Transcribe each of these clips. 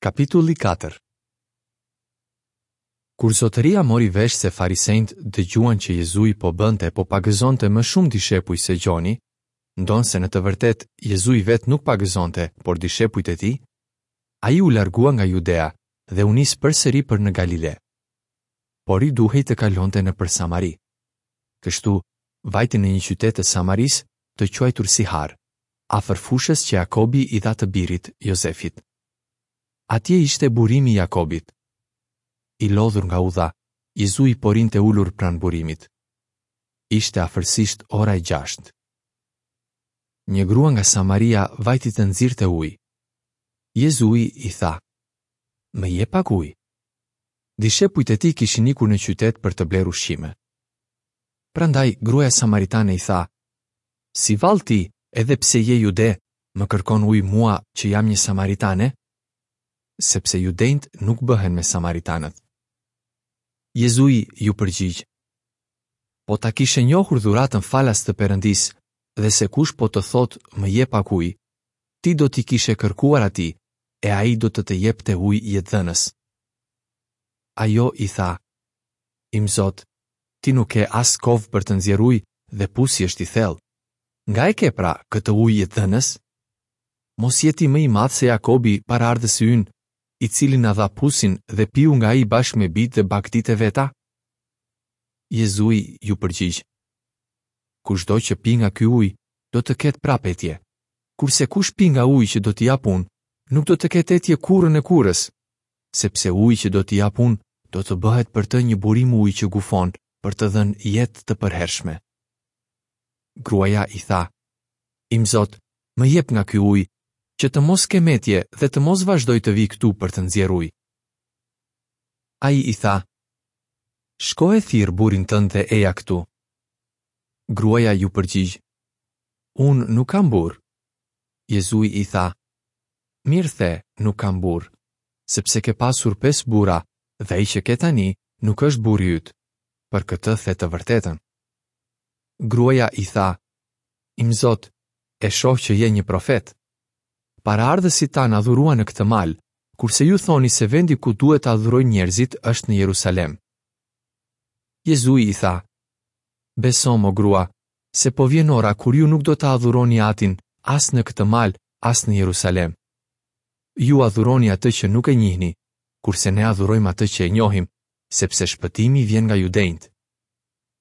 Kapitulli 4 Kur zotëria mori vesh se farisenjtë dëgjuan që Jezui po bënte po pagëzonte më shumë dishepuj se Gjoni, ndonëse në të vërtetë Jezui vetë nuk pagëzonte, por dishepujt e tij, ai u largua nga Judea dhe u nis përsëri për në Galile. Por i duhej të kalonte nëpër Samari. Kështu, vajti në një qytet të Samarisë të quajtur Sihar, afër fushës që Jakobi i dha të birit, Jozefit. Atje ishte burimi i Jakobit. I lodhur nga udha, Jezui po rrinte ulur pranë burimit. Ishte afërsisht ora e gjashtë. Një grua nga Samaria vajti të nxirrte ujë. Jezui i tha, Më jep pak ujë. Dishepujt e tij kishin ikur në qytet për të blerë ushqime. Prandaj gruaja samaritane i tha, Si vallë ti, edhe pse je jude, më kërkon ujë mua që jam një samaritane? Sepse judenjtë nuk bëhen me samaritanët. Jezui iu përgjigj, Po ta kishe njohur dhuratën falas të Perëndisë dhe se kush po të thotë më jep pak ujë, ti do t'i kishe kërkuar atij e ai do të të jepte ujë jetëdhënës. Ajo i tha, Imzot, ti nuk ke as kovë për të nxjerrë ujë dhe pusi është i thellë. Nga e ke pra këtë ujë jetëdhënës? Mos je ti më i madh se Jakobi, paraardhësi ynë, i cili na dha pusin dhe piu nga ai bashkë me bijtë dhe bagëtitë e veta? Jezui iu përgjigj, Kushdo që pi nga ky ujë, do të ketë prapë etje. Kurse kush pi nga uji që do t'i jap unë, nuk do të ketë etje kurrën e kurrës, sepse uji që do t'i jap unë do të bëhet për të një burim uji që gufon për të dhënë jetë të përhershme. Gruaja i tha, Imzot, më jep nga ky ujë, që të mos kem etje dhe të mos vazhdoj të vij këtu për të nxjerrë ujë. Ai i tha, Shko e thirr burrin tënd dhe eja këtu. Gruaja iu përgjigj, Unë nuk kam burrë. Jezui i tha, Mirë the, nuk kam burrë, sepse ke pasur pesë burra dhe ai që ke tani nuk është burri yt. Për këtë the të vërtetën. Gruaja i tha, Imzot, e shoh që je një profet. Paraardhësit tanë adhuruan në këtë mal, kurse ju thoni se vendi ku duhet të adhurojnë njerëzit është në Jerusalem. Jezui i tha, Besomë, o grua, se po vjen ora kur ju nuk do të adhuroni Atin as në këtë mal, as në Jerusalem. Ju adhuroni atë që nuk e njihni, kurse ne adhurojmë atë që e njohim, sepse shpëtimi vjen nga judenjtë.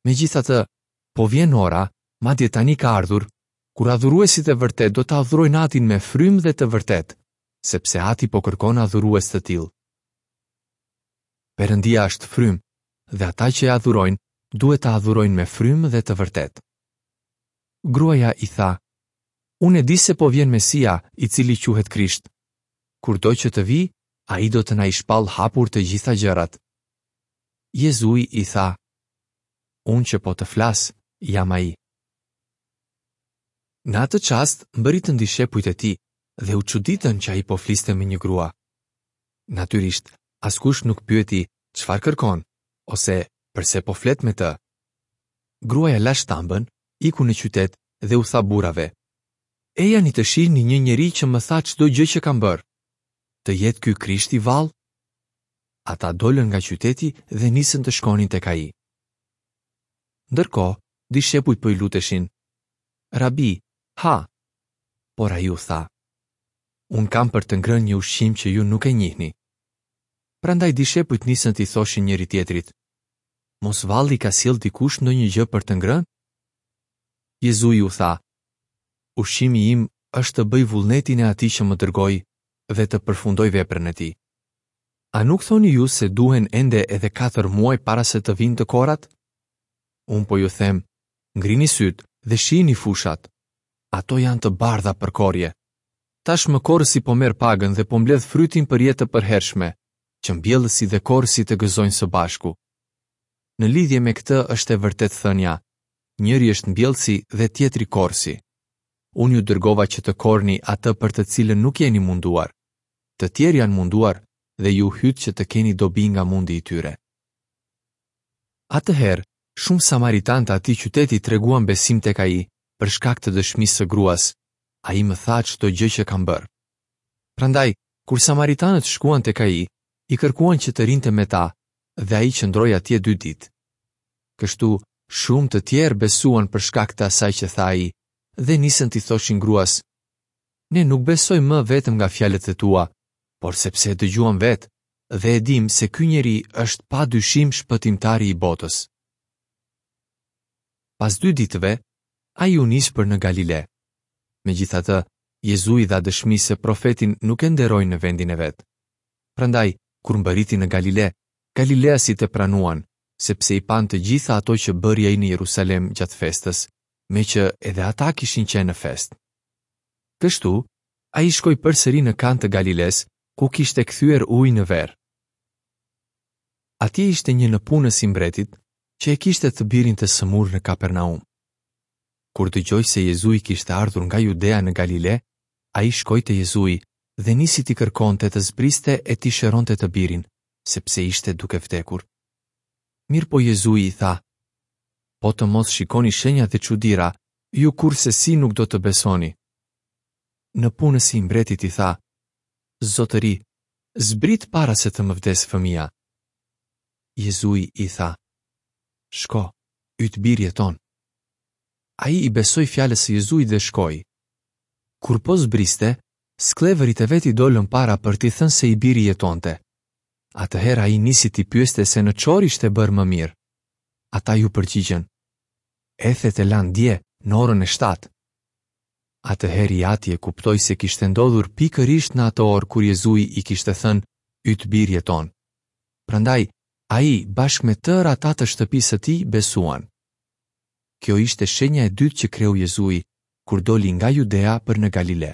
Megjithatë, po vjen ora, madje tani ka ardhur, kur adhuruesit e vërtetë do të adhurojnë Atin me frymë dhe të vërtetë, sepse Ati po kërkon adhurues të tillë. Perëndia është frymë dhe ata që e adhurojnë duhet ta adhurojnë me frymë dhe të vërtetë. Gruaja i tha, Unë e di se po vjen Mesia, i cili quhet Krisht. Kurdo që të vijë, ai do të na i shpallë hapur të gjitha gjërat. Jezui i tha, Unë që po të flas, jam ai. Në atë çast mbërritën dishepujt e tij dhe u çuditën që ai po fliste me një grua. Natyrisht, askush nuk pyeti çfarë kërkon ose përse po flet me të. Gruaja la shtambën, iku në qytet dhe u tha burrave: Ejani të shihni një njeri që më tha çdo gjë që kam bërë. Të jetë ky Krishti vallë? Ata dolën nga qyteti dhe nisën të shkonin tek ai. Ndërkohë, dishepujt po i luteshin, Rabi, ha! Por ai u tha, Unë kam për të ngrënë një ushqim që ju nuk e njihni. Prandaj dishepujt nisën t'i thoshin njëri-tjetrit, Mos vallë i ka sjellë dikush ndonjë gjë për të ngrënë? Jezui u tha, Ushqimi im është të bëj vullnetin e atij që më dërgoi dhe të përfundoj veprën e tij. A nuk thoni ju se duhen ende edhe katër muaj para se të vijnë të korrat? Unë po ju them, ngrini sytë dhe shihni fushat. Ato janë të bardha për korrje. Tashmë korrësi po merr pagën dhe po mbledh frytin për jetë të përhershme, që mbjellësi dhe korrësi të gëzojnë së bashku. Në lidhje me këtë është e vërtetë thënia, njëri është mbjellësi dhe tjetri korrësi. Unë ju dërgova që të korrni atë për të cilën nuk jeni munduar. Të tjerë janë munduar dhe ju hytë që të keni dobi nga mundi i tyre. Atëherë, shumë samaritanë të atij qyteti treguan besim tek ai për shkak të dëshmisë së gruas, ai më tha çdo gjë që kam bërë. Prandaj, Kur samaritanët shkuan tek ai, i kërkuan që të rrinte me ta dhe ai qëndroi atje dy ditë. Kështu, shumë të tjerë besuan për shkak të asaj që tha ai dhe nisën t'i thoshin gruas, Ne nuk besojmë më vetëm nga fjalët e tua, por sepse e dëgjuam vetë dhe e dimë se ky njeri është pa dyshim shpëtimtari i botës. Pas dy ditëve, ai u nis për në Galile. Megjithatë, Jezui dha dëshmi se profetin nuk e nderojnë në vendin e vet. Prandaj, kur mbërriti në Galile, galileasit e pranuan, sepse i panë të gjitha ato që bëri ai në Jerusalem gjatë festës, meqë edhe ata kishin qenë në festë. Kështu, ai shkoi përsëri në Kanë të Galilesë, ku kishte kthyer ujë në verë. Atje ishte një nëpunës i mbretit, që e kishte të birin të sëmurë në Kapernaum. Kur dëgjoi se Jezui kishte ardhur nga Judea në Galile, ai shkoi te Jezui dhe nisi t'i kërkonte të zbriste e t'i shëronte të birin, sepse ishte duke vdekur. Mirëpo Jezui i tha, Po të mos shikoni shenja dhe çudira, ju kurrsesi nuk do të besoni. Nëpunësi i mbretit i tha, Zotëri, zbrit para se të më vdesë fëmija. Jezui i tha, Shko, yt bir jeton. Ai i besoi fjalës së Jezuit dhe shkoi. Kur po zbriste, skllevërit e vet i dolën para për t'i thënë se i biri jetonte. Atëherë ai nisi t'i pyeste se në ç'orë ishte bërë më mirë. Ata iu përgjigjën, Ethet e lanë dje, në orën e shtatë. Atëherë i ati e kuptoi se kishte ndodhur pikërisht në atë orë kur Jezui i kishte thënë, Yt bir jeton. Prandaj, ai, bashkë me tërë ata të shtëpisë së tij, besuan. Kjo ishte shenja e dytë që kreu Jezui, kur doli nga Judea për në Galile.